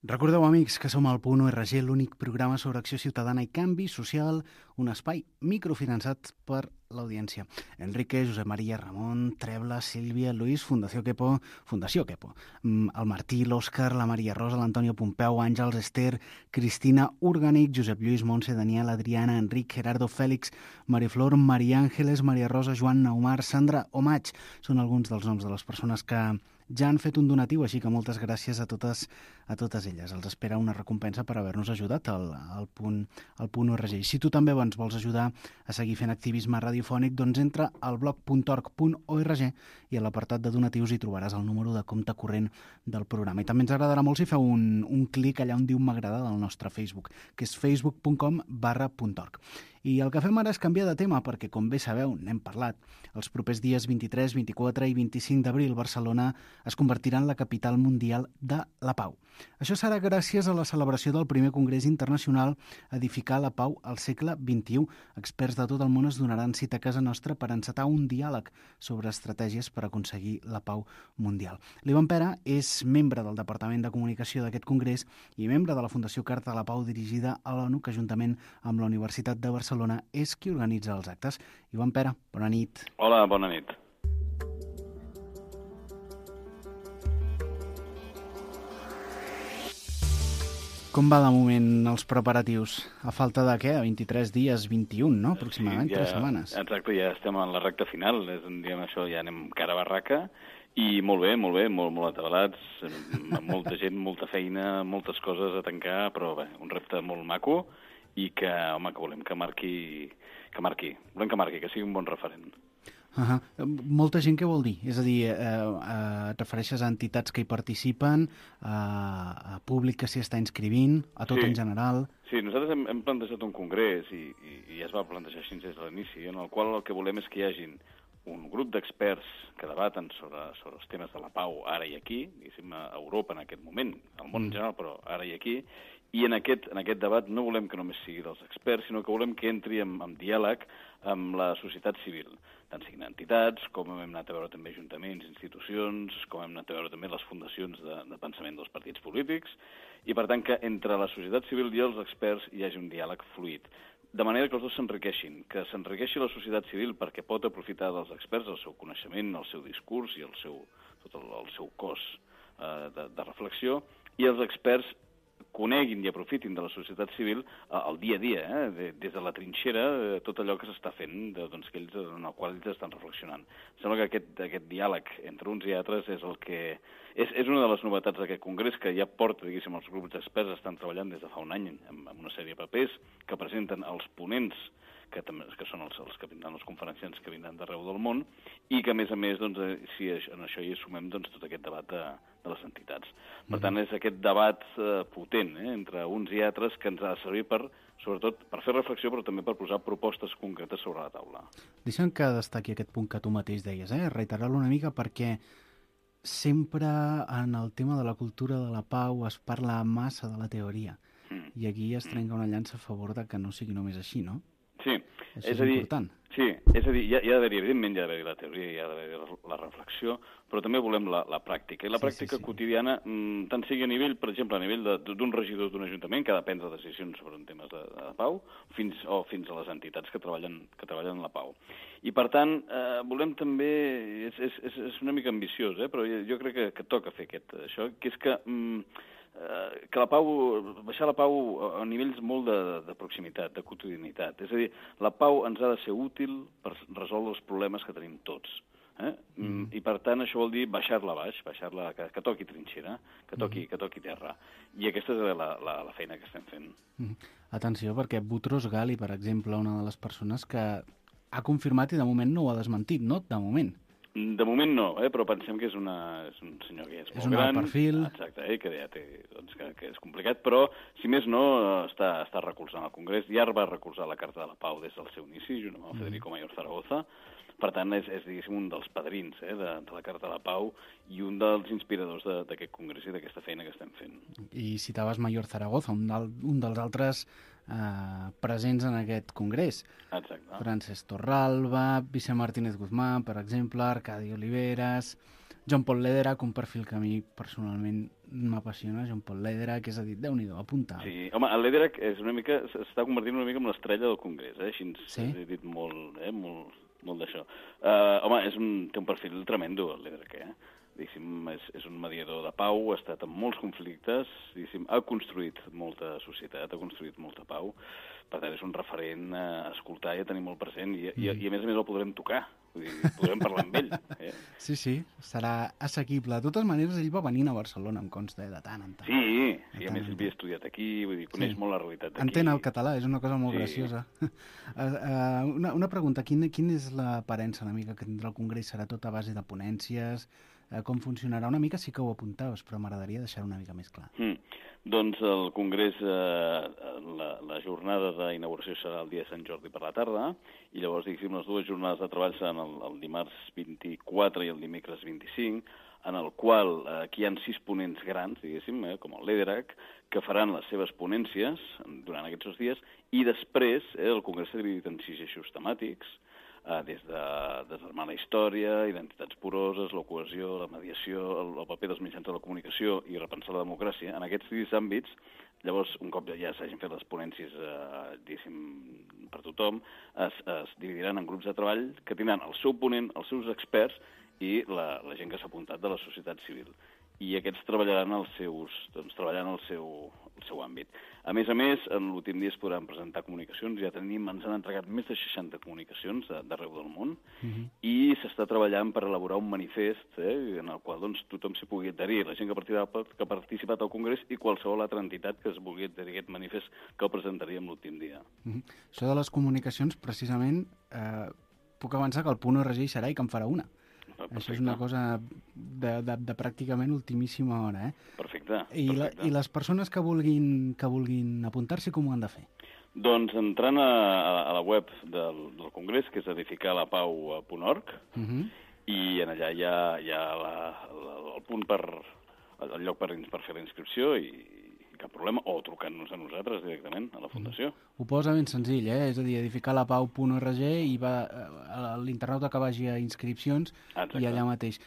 Recordeu, amics, que som al Punt RG, l'únic programa sobre acció ciutadana i canvi social, un espai microfinançat per l'audiència. Enrique, Josep Maria, Ramon, Trebla, Sílvia, Luis, Fundació Quepo, el Martí, l'Òscar, la Maria Rosa, l'Antonio Pompeu, Àngels, Esther, Cristina, Orgànic, Josep Lluís, Montse, Daniel, Adriana, Enric, Gerardo, Fèlix, Mariflor, Maria Àngeles, Maria Rosa, Joan, Naumar, Sandra o Maig. Són alguns dels noms de les persones que ja han fet un donatiu, així que moltes gràcies a totes elles. Els espera una recompensa per haver-nos ajudat al punt RG. Si tu també ens vols ajudar a seguir fent activisme radiofònic, doncs entra al blog.org i a l'apartat de donatius hi trobaràs el número de compte corrent del programa. I també ens agradarà molt si feu un clic allà on diu m'agrada del nostre Facebook, que és facebook.com/.org. I el que fem ara és canviar de tema perquè, com bé sabeu, n'hem parlat. Els propers dies 23, 24 i 25 d'abril, Barcelona es convertirà en la capital mundial de la pau. Això serà gràcies a la celebració del primer Congrés Internacional Edificar la Pau al segle XXI. Experts de tot el món es donaran cita a casa nostra per encetar un diàleg sobre estratègies per aconseguir la pau mundial. L'Ivan Pera és membre del Departament de Comunicació d'aquest congrés i membre de la Fundació Carta de la Pau dirigida a l'ONU, que juntament amb la Universitat de Barcelona és qui organitza els actes. Ivan Pera, bona nit. Hola, bona nit. Com va de moment els preparatius? A falta de què? 23 dies, 21, no? Aproximadament, 3 setmanes. Exacte, ja estem en la recta final, diguem això, ja anem cara a barraca, i molt bé, molt atabalats, molta gent, molta feina, moltes coses a tancar, però bé, un repte molt maco, i que, home, que volem que marqui, que sigui un bon referent. Molta gent, què vol dir? És a dir, et refereixes a entitats que hi participen, a públic que s'hi està inscrivint, a tot en general? Sí, nosaltres hem plantejat un congrés i ja es va plantejar així des de l'inici, en el qual el que volem és que hi hagin un grup d'experts que debaten sobre els temes de la pau ara i aquí, diguéssim, a Europa en aquest moment, al món en general, però ara i aquí, i en aquest debat no volem que només sigui dels experts, sinó que volem que entri en diàleg amb la societat civil, tant siguin entitats, com hem anat a veure també ajuntaments, institucions, com hem anat a veure també les fundacions de pensament dels partits polítics, i per tant que entre la societat civil i els experts hi hagi un diàleg fluid, de manera que els dos s'enriqueixin, que s'enriqueixi la societat civil perquè pot aprofitar dels experts el seu coneixement, el seu discurs i tot el seu cos de reflexió, i els experts coneguin i aprofitin de la societat civil el dia a dia, des de la trinxera, tot allò que s'està fent, en el qual ells estan reflexionant. Sembla que aquest diàleg entre uns i altres és el que és una de les novetats d'aquest congrés, que ja porta, diguéssim, els grups d'experts estan treballant des de fa un any amb una sèrie de papers que presenten els ponents, que són els que vindran, els conferenciants que vindran d'arreu del món, i que, a més, si en això hi sumem tot aquest debat de les entitats. Per tant, és aquest debat potent entre uns i altres que ens ha de servir sobretot per fer reflexió, però també per posar propostes concretes sobre la taula. Deixa'm que destaqui aquest punt que tu mateix deies, reiterar-lo una mica, perquè sempre en el tema de la cultura de la pau es parla massa de la teoria, i aquí es trenca una llança a favor de que no sigui només així, no? Sí, és important. Sí, és a dir, hi ha d'haver-hi, evidentment, hi ha d'haver-hi la teoria, hi ha d'haver la reflexió, però també volem la pràctica. I la pràctica quotidiana, tant sigui a nivell, per exemple, a nivell d'un regidor d'un ajuntament que ha de prendre decisions sobre temes de pau, fins a les entitats que treballen la pau. I, per tant, volem també, és una mica ambiciós, però jo crec que toca fer això, que és que baixar la pau a nivells molt de proximitat, de quotidianitat. És a dir, la pau ens ha de ser útil per resoldre els problemes que tenim tots. I per tant això vol dir baixar-la baix, que toqui trinxera, que toqui terra. I aquesta és la feina que estem fent. Atenció, perquè Boutros Ghali, per exemple, una de les persones que ha confirmat i de moment no ho ha desmentit, no? De moment. De moment no, però pensem que és un senyor que és molt gran. És un alt perfil. Exacte, que ja té, que és complicat, però, si més no, està recolzant el Congrés. Ja va recolzar la Carta de la Pau des del seu inici, junt amb el Federico Mayor Zaragoza. Per tant, és diguéssim, un dels padrins de la Carta de la Pau i un dels inspiradors d'aquest congrés i d'aquesta feina que estem fent. I citaves Mayor Zaragoza, un dels altres presents en aquest congrés. Exacte. Francesc Torralba, Vicent Martínez Guzmán, per exemple, Arcadi Oliveras, John Paul Lederach, un perfil que a mi personalment m'apassiona, John Paul Lederach, que és a dir, Déu-n'hi-do, apunta. Sí, home, el Lederach s'està convertint una mica en l'estrella del congrés, així he dit molt d'això. Home, té un perfil tremendo, el Lederach, Diguéssim, és un mediador de pau, ha estat en molts conflictes, ha construït molta societat, ha construït molta pau, per tant és un referent a escoltar i a tenir molt present, i a més el podrem tocar, podrem parlar amb ell. Sí, serà assequible. De totes maneres, ell va venint a Barcelona, em consta, de tant en tant. Sí, a més ell havia estudiat aquí, coneix molt la realitat d'aquí. Entén el català, és una cosa molt graciosa. Una pregunta, quina és l'aparença una mica que tindrà el Congrés? Serà tot a base de ponències? Com funcionarà? Una mica sí que ho apuntaves, però m'agradaria deixar-ho una mica més clar. Doncs el Congrés, la jornada d'inauguració serà el dia de Sant Jordi per la tarda, i llavors, diguéssim, les dues jornades de treball seran el dimarts 24 i el dimecres 25, en el qual aquí hi ha 6 ponents grans, diguéssim, com el Lederach, que faran les seves ponències durant aquests 2 dies, i després el Congrés s'ha dividit en 6 eixos temàtics, des de desarmar la història, identitats poroses, la cohesió, la mediació, el paper dels mitjans de la comunicació i repensar la democràcia. En aquests 6 àmbits, llavors, un cop ja s'hagin fet les ponències, diguéssim, per tothom, es dividiran en grups de treball que tindran el seu ponent, els seus experts i la gent que s'ha apuntat de la societat civil. I aquests treballaran el seu àmbit. A més, en l'últim dia es podran presentar comunicacions. Ja ens han entregat més de 60 comunicacions d'arreu del món i s'està treballant per elaborar un manifest en el qual tothom s'hi pugui adherir, la gent que ha participat al Congrés i qualsevol altra entitat que es vulgui adherir a aquest manifest que el presentaríem l'últim dia. Això de les comunicacions, precisament, puc avançar que el Punt ORG hi serà i que en farà una. Perfecte. Això és una cosa de pràcticament ultimíssima hora, Perfecte. I les persones que vulguin apuntar-s'hi, com ho han de fer? Doncs entrant a la web del Congrés, que és edificalapau.org, i en allà hi ha el punt el lloc per fer la inscripció i cap problema, o trucant-nos a nosaltres directament, a la Fundació. Ho posa ben senzill, és a dir, edificalapau.org i l'internauta que vagi a inscripcions. Exacte. I allà mateix.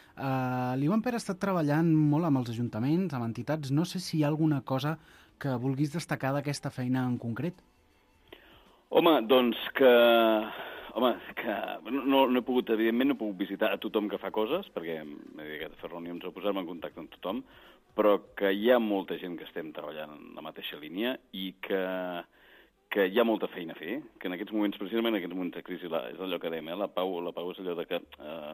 L'Ivan Pere ha estat treballant molt amb els ajuntaments, amb entitats. No sé si hi ha alguna cosa que vulguis destacar d'aquesta feina en concret. Home, doncs que no he pogut, evidentment, no he pogut visitar a tothom que fa coses, perquè m'he dedicat a fer reunions o posar-me en contacte amb tothom, però que hi ha molta gent que estem treballant en la mateixa línia i que hi ha molta feina a fer, que en aquests moments, precisament en aquests moments de crisi, és allò que dèiem, la pau és allò de que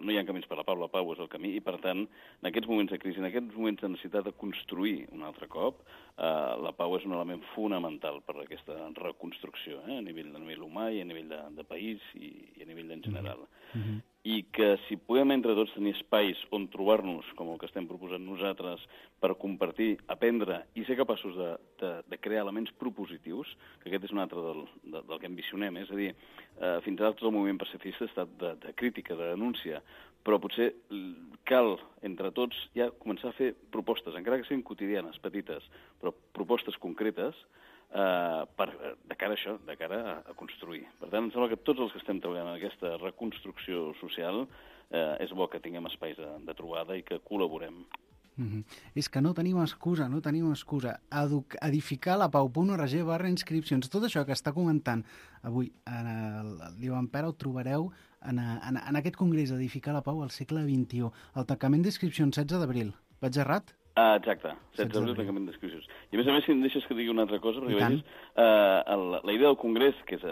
no hi ha camins per la pau és el camí, i per tant, en aquests moments de crisi, en aquests moments de necessitat de construir un altre cop, la pau és un element fonamental per a aquesta reconstrucció, a nivell humà i a nivell de país i a nivell en general. I que si podem entre tots tenir espais on trobar-nos, com el que estem proposant nosaltres, per compartir, aprendre i ser capaços de crear elements propositius, que aquest és un altre del que ambicionem, és a dir, fins ara tot el moviment pacifista ha estat de crítica, de denúncia, però potser cal, entre tots, ja començar a fer propostes, encara que siguin quotidianes, petites, però propostes concretes, de cara a això, de cara a construir. Per tant, em sembla que tots els que estem treballant en aquesta reconstrucció social és bo que tinguem espais de trobada i que col·laborem. És que no tenim excusa. edificalapau.org/inscripcions. Tot això que està comentant avui l'Ivan Pere ho trobareu en aquest congrés Edificar la Pau al segle XXI. El tancament d'inscripcions 16 d'abril. Vaig errat? Exacte, 16 d'abril, tancament d'inscripcions. I a més, si em deixes que digui una altra cosa, perquè vegis, la idea del Congrés, que és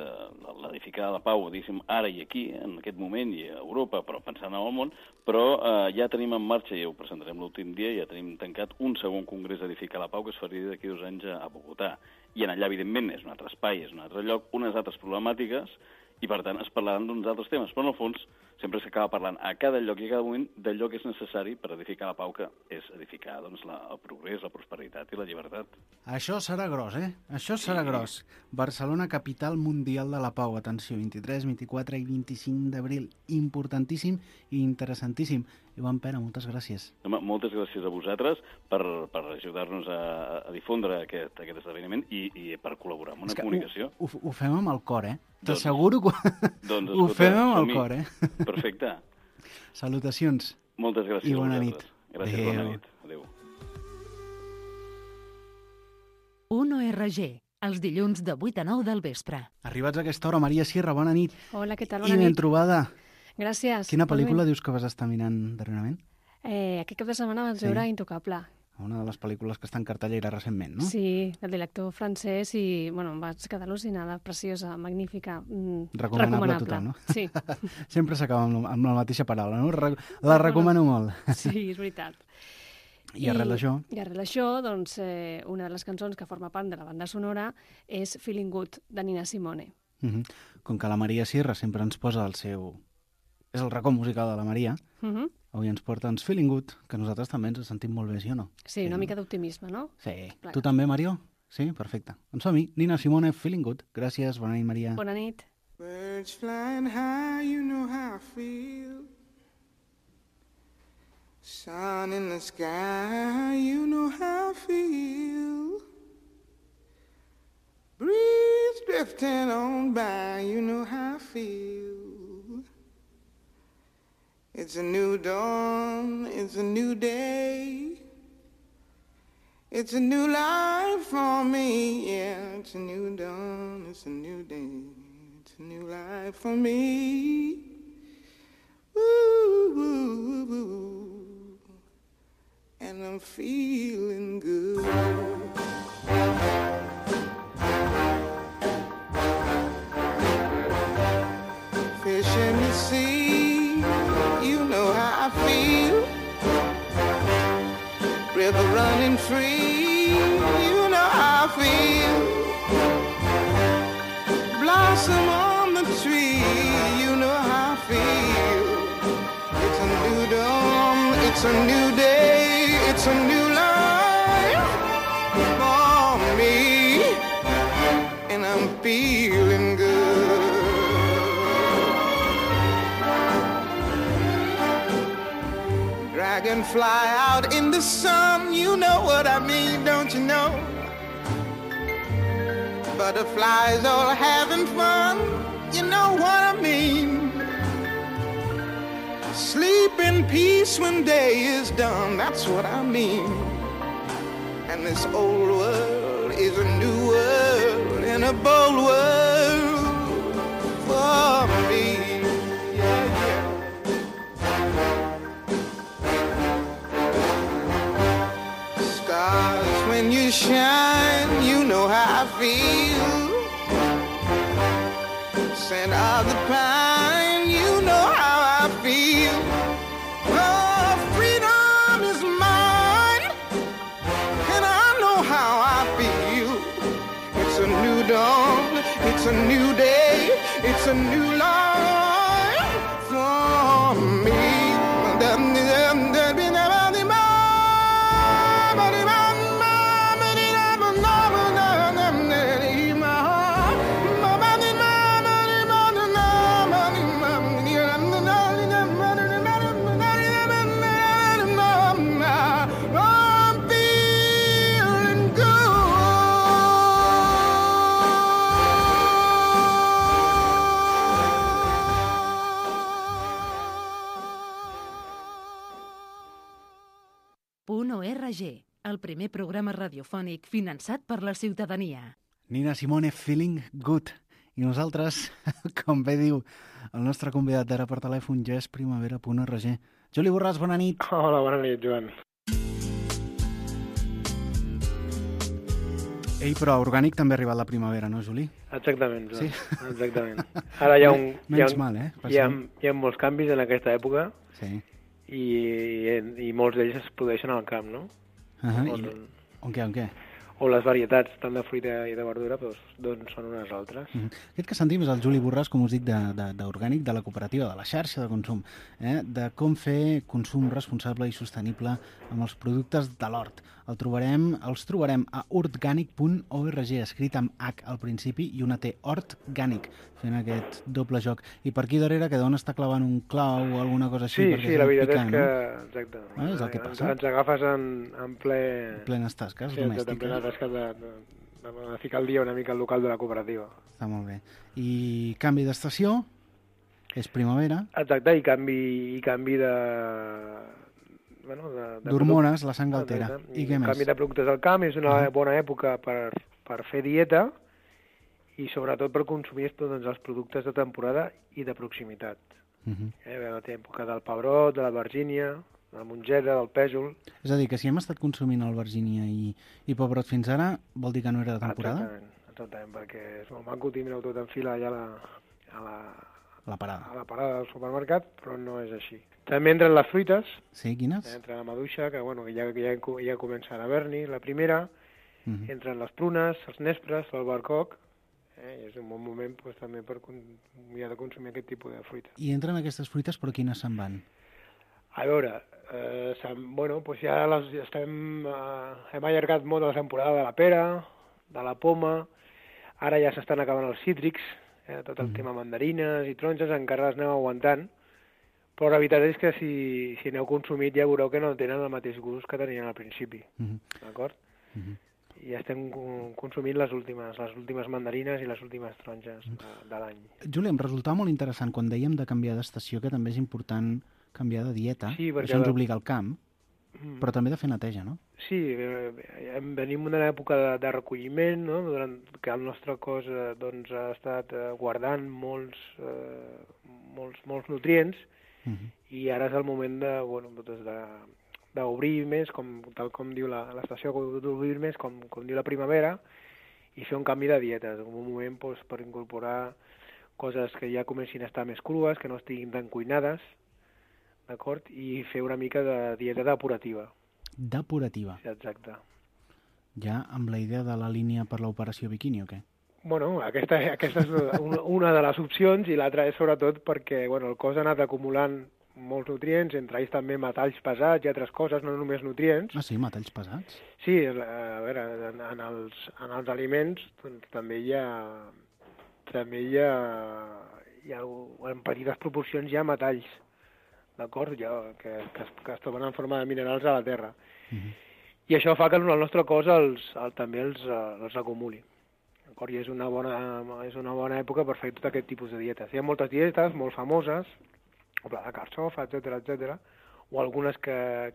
l'edificar la pau, diguéssim, ara i aquí, en aquest moment, i a Europa, però pensant en el món, però ja tenim en marxa, i ho presentarem l'últim dia, ja tenim tancat un segon Congrés Edificar la Pau, que es faria d'aquí 2 anys a Bogotà. I en allà, evidentment, és un altre espai, és un altre lloc, unes altres problemàtiques, i per tant es parlaran d'uns altres temes, però en el fons sempre s'acaba parlant a cada lloc i a cada moment d'allò que és necessari per edificar la pau, que és edificar el progrés, la prosperitat i la llibertat. Això serà gros, Això serà gros. Barcelona, capital mundial de la pau. Atenció, 23, 24 i 25 d'abril. Importantíssim i interessantíssim. Ivan Pere, moltes gràcies. Home, moltes gràcies a vosaltres per ajudar-nos a difondre aquest esdeveniment i per col·laborar amb una comunicació. Ho fem amb el cor, T'asseguro que ho fem amb el cor, Perfecte. Salutacions. Moltes gràcies. I bona nit. Gràcies, bona nit. Adéu. 1ORG, els dilluns de 8 a 9 del vespre. Arribats a aquesta hora, Maria Sierra, bona nit. Hola, què tal? Bona nit. I ben nit. trobada. Gràcies. Quina pel·lícula dius que vas estar mirant darrerament? Aquest cap de setmana vaig veure Intocable. Una de les pel·lícules que està en cartellera recentment, no? Sí, del director francès i, em vaig quedar al·lucinada, preciosa, magnífica, recomanable a tothom, no? Sí. Sempre s'acaba amb la mateixa paraula, no? La recomano molt. Sí, és veritat. I arrel d'això? I arrel d'això, doncs, una de les cançons que forma part de la banda sonora és Feeling Good, de Nina Simone. Com que la Maria Sierra sempre ens posa el seu... És el racó musical de la Maria. Avui ens porta uns Feeling Good, que nosaltres també ens sentim molt bé, sí o no? Sí, una mica d'optimisme, no? Sí. Clar. Tu també, Mario? Sí? Perfecte. Doncs som-hi. Nina Simone, Feeling Good. Gràcies, bona nit, Maria. Bona nit. Birds flying high, you know how I feel. Sun in the sky, you know how I feel. Breeze drifting on by, you know how I feel. It's a new dawn, it's a new day. It's a new life for me, yeah. It's a new dawn, it's a new day. It's a new life for me. Ooh, ooh, ooh. And I'm feeling good. Fish in the sea, you know how I feel. River running free, you know how I feel. Blossom on the tree, you know how I feel. It's a new dawn, it's a new day. It's a new life for me, and I'm feeling good. Dragonfly out in the sun, you know what I mean, don't you know? Butterflies all having fun, you know what I mean. Sleep in peace when day is done, that's what I mean. And this old world is a new world and a bold world for me. Yeah, yeah. Stars, when you shine, you know how I feel. Scent of the pine, you know how I feel. Oh, freedom is mine, and I know how I feel. It's a new dawn, it's a new day, it's a new life for me. .org, el primer programa radiofònic finançat per la ciutadania. Nina Simone, Feeling Good. I nosaltres, com bé diu el nostre convidat d'ara per telèfon, ja és primavera.org. Juli Borràs, bona nit. Hola, bona nit, Joan. Ei, però orgànic també ha arribat la primavera, no, Juli? Exactament, Joan. Sí? Exactament. Ara hi ha Menys mal, eh? Hi ha molts canvis en aquesta època. Sí. I molts d'ells es produeixen al camp, no? On què? O les varietats, tant de fruita i de verdura, doncs són unes altres. Aquest que sentim és el Juli Borràs, com us dic, d'orgànic, de la cooperativa, de la xarxa de consum, de com fer consum responsable i sostenible amb els productes de l'hort. Els trobarem a ortganic.org, escrit amb H al principi i una T, Ortganic, fent aquest doble joc. I per aquí darrere que deuen estar clavant un clau o alguna cosa així. Sí, la veritat és que... Exacte. És el que passa. Ens agafes en plenes tasques domèstiques. En plenes tasques de ficar el dia una mica al local de la cooperativa. Està molt bé. I canvi d'estació, és primavera. Exacte, i canvi de... d'hormones, la sang altera. I què més? Canvi de productes al camp, és una bona època per fer dieta i sobretot per consumir doncs, els productes de temporada i de proximitat. La època del pebrot, de l'albergínia, de la mongeta, del pèsol... És a dir, que si hem estat consumint albergínia i pebrot fins ara, vol dir que no era de temporada? Exactament, perquè és molt maco tindre-ho tot en fila allà a la parada del supermercat, però no és així. També entren les fruites. Sí, quines? Entra la maduixa, que ja comença a haver-n'hi, la primera. Entren les prunes, els nespres, l'albercoc. I és un bon moment també per mirar de consumir aquest tipus de fruita. I entren aquestes fruites, però quines se'n van? A veure, ja hem allargat molt la temporada de la pera, de la poma, ara ja s'estan acabant els cítrics, tot el tema mandarines i taronges encara les anem aguantant, Però la veritat és que si n'heu consumit ja veureu que no tenen el mateix gust que tenien al principi, d'acord? I estem consumint les últimes mandarines i les últimes taronges de l'any. Juli, em resultava molt interessant quan dèiem de canviar d'estació, que també és important canviar de dieta. Sí, perquè això ens obliga al camp, però també de fer neteja, no? Sí, venim d'una època de recolliment, no? Que el nostre cos doncs, ha estat guardant molts nutrients, i ara és el moment d'obrir més, tal com diu l'estació, d'obrir més, com diu la primavera, i fer un canvi de dietes, en un moment per incorporar coses que ja comencin a estar més crues, que no estiguin tan cuinades, d'acord? I fer una mica de dieta depurativa. Depurativa? Sí, exacte. Ja amb la idea de la línia per l'operació biquini o què? Bueno, aquesta és una de les opcions, i l'altra és sobretot perquè el cos ha anat acumulant molts nutrients, entre ells també metalls pesats i altres coses, no només nutrients. Ah, sí? Metalls pesats? Sí, a veure, en els aliments doncs, també hi ha en petites proporcions hi ha metalls, d'acord? Que es troben en forma de minerals a la terra. I això fa que el nostre cos també els acumuli. I és una bona època per fer tot aquest tipus de dietes. Hi ha moltes dietes molt famoses, o pla de carxofa, etc, o algunes que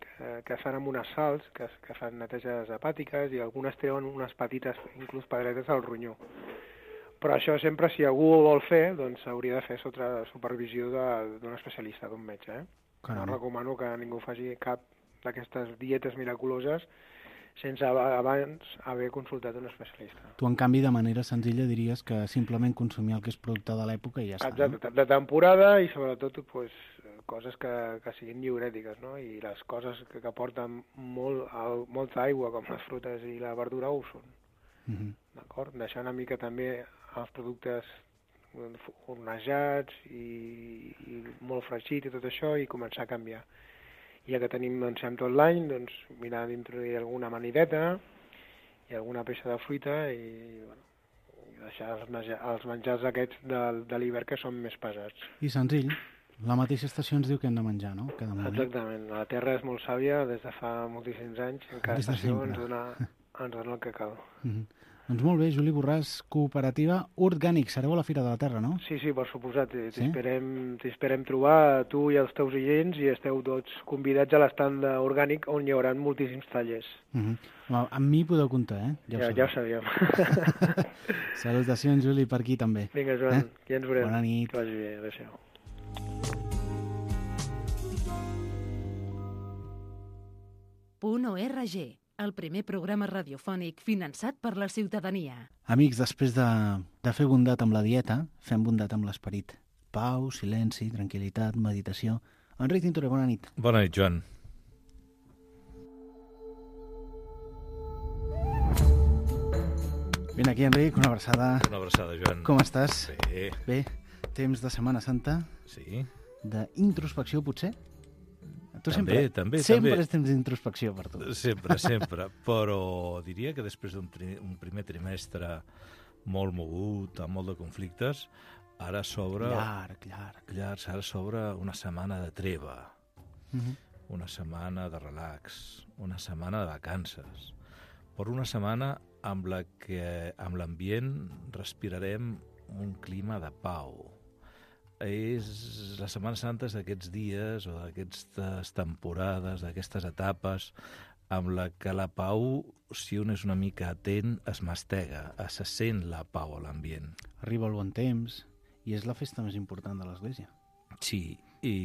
fan amb unes sals, que fan neteges hepàtiques, i algunes treuen unes petites, inclús pedretes al ronyó. Però això sempre, si algú ho vol fer, doncs s'hauria de fer sota supervisió d'un especialista, d'un metge. No recomano que ningú faci cap d'aquestes dietes miraculoses sense abans haver consultat un especialista. Tu, en canvi, de manera senzilla diries que simplement consumir el que és producte de l'època i ja està. Exacte, de temporada, i sobretot coses que siguin diurètiques, no? I les coses que porten molta aigua, com les frutes i la verdura, ho són. D'acord? Deixar una mica també els productes hornejats i molt fregit i tot això, i començar a canviar. Ja que tenim tot l'any, doncs mirar d'introduir alguna amanideta i alguna peça de fruita i deixar els menjars aquests de l'hivern que són més pesats. I senzill. La mateixa estació ens diu que hem de menjar, no? Cada moment. Exactament. La Terra és molt sàvia des de fa moltíssims anys. En cada estació ens dona el que cal. Doncs molt bé, Juli Borràs, Cooperativa Orgànic. Sereu a la Fira de la Terra, no? Sí, per suposat. T'esperem trobar, tu i els teus oients, i esteu tots convidats a l'estand orgànic, on hi haurà moltíssims tallers. Amb mi podeu comptar, eh? Ja ho sabíem. Salutacions, Juli, per aquí també. Vinga, Joan, ja ens veurem. Bona nit. Que vagi bé, adéu-siau. .org, el primer programa radiofònic finançat per la ciutadania. Amics, després de fer bondat amb la dieta, fem bondat amb l'esperit. Pau, silenci, tranquil·litat, meditació. Enric Tintoré, bona nit. Bona nit, Joan. Vine aquí, Enric, una abraçada. Una abraçada, Joan. Com estàs? Bé. Bé. Temps de Setmana Santa? Sí. D'introspecció, potser? Tu també. Sempre és temps d'introspecció per tu. Sempre. Però diria que després d'un primer trimestre molt mogut, amb molt de conflictes, ara s'obre... Llarg. Ara s'obre una setmana de treva, una setmana de relax, una setmana de vacances, però una setmana amb la que amb l'ambient respirarem un clima de pau. És la Setmana Santa d'aquests dies o d'aquestes temporades, d'aquestes etapes amb la que la pau, si un és una mica atent, es mastega, se sent la pau a l'ambient. Arriba el bon temps i és la festa més important de l'Església. Sí, i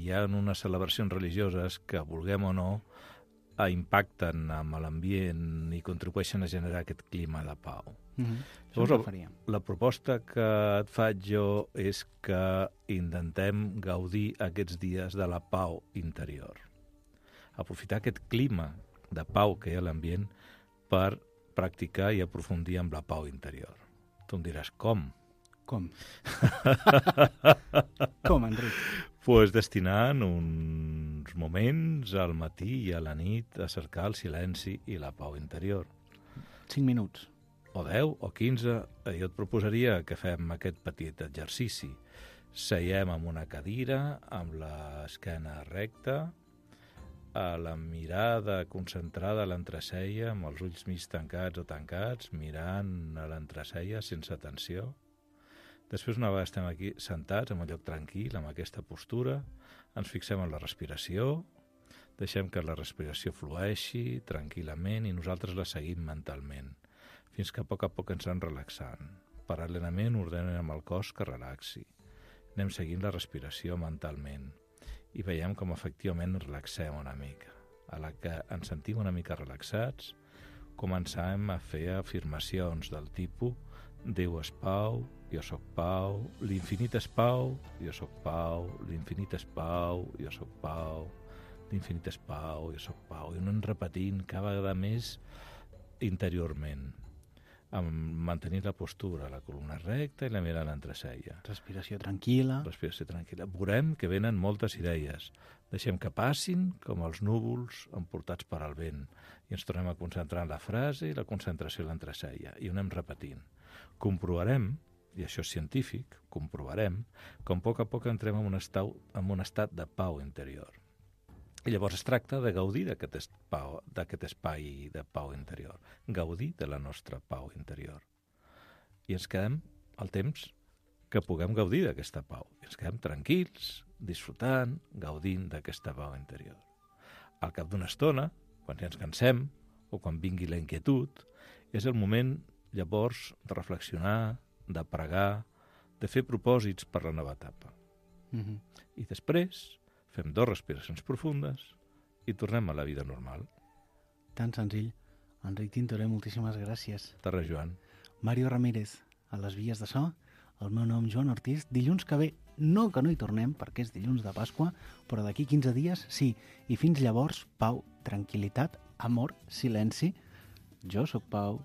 hi ha unes celebracions religioses que, vulguem o no, impacten amb l'ambient i contribueixen a generar aquest clima de pau. Llavors, la proposta que et faig jo és que intentem gaudir aquests dies de la pau interior. Aprofitar aquest clima de pau que hi ha a l'ambient per practicar i aprofundir amb la pau interior. Tu em diràs, com? Com, Enric? Pues destinant uns moments al matí i a la nit a cercar el silenci i la pau interior. 5 minuts. O 10 o 15, jo et proposaria que fem aquest petit exercici. Seiem en una cadira, amb l'esquena recta, a la mirada concentrada a l'entreceia, amb els ulls mig tancats o tancats, mirant a l'entreceia sense tensió. Després, una vegada estem aquí sentats, en un lloc tranquil, amb aquesta postura, ens fixem en la respiració, deixem que la respiració flueixi tranquil·lament i nosaltres la seguim mentalment, fins que a poc ens anem relaxant. Paral·lelament ordenem amb el cos que relaxi. Anem seguint la respiració mentalment i veiem com efectivament ens relaxem una mica. A la que ens sentim una mica relaxats, comencem a fer afirmacions del tipus Déu és pau, jo sóc pau, l'infinit és pau, jo sóc pau, l'infinit és pau, jo sóc pau, l'infinit és pau, jo sóc pau. I anem repetint cada vegada més interiorment, mantenir la postura, la columna recta i la mirada a l'entreceia. Respiració tranquil·la. Respiració tranquil·la. Veurem que venen moltes idees. Deixem que passin com els núvols emportats per al vent i ens tornem a concentrar en la frase i la concentració a l'entreceia i ho anem repetint. Comprovarem, i això és científic, comprovarem com a poc entrem en un estat de pau interior. I llavors es tracta de gaudir d'aquest espai de pau interior, gaudir de la nostra pau interior. I ens quedem el temps que puguem gaudir d'aquesta pau. I ens quedem tranquils, disfrutant, gaudint d'aquesta pau interior. Al cap d'una estona, quan ja ens cansem, o quan vingui la inquietud, és el moment, llavors, de reflexionar, de pregar, de fer propòsits per la nova etapa. I després fem 2 respiracions profundes i tornem a la vida normal. Tan senzill. Enric Tintorer, moltíssimes gràcies. De res, Joan. Mario Ramírez, a les vies de so. El meu nom, Joan Ortiz. Dilluns que ve, no que no hi tornem, perquè és dilluns de Pasqua, però d'aquí 15 dies, sí. I fins llavors, pau, tranquil·litat, amor, silenci. Jo sóc Pau.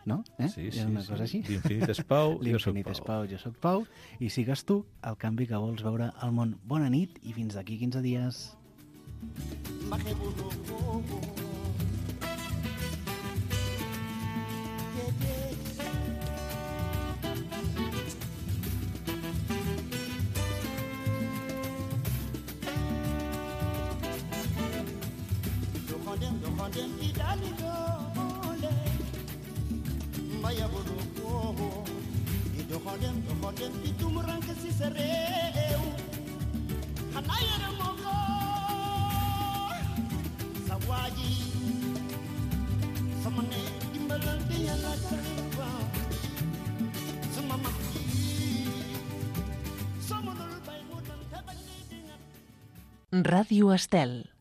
No? Sí, és una cosa així. L'infinit és pau, jo sóc L'infinit és pau, jo sóc Pau. I sigues tu el canvi que vols veure al món. Bona nit i fins d'aquí 15 dies. Vaya buruko ido hodem pitum ranke si sereu hanaya mogo sawaji samane dimbalan dia la tarwa sumama Radio Estel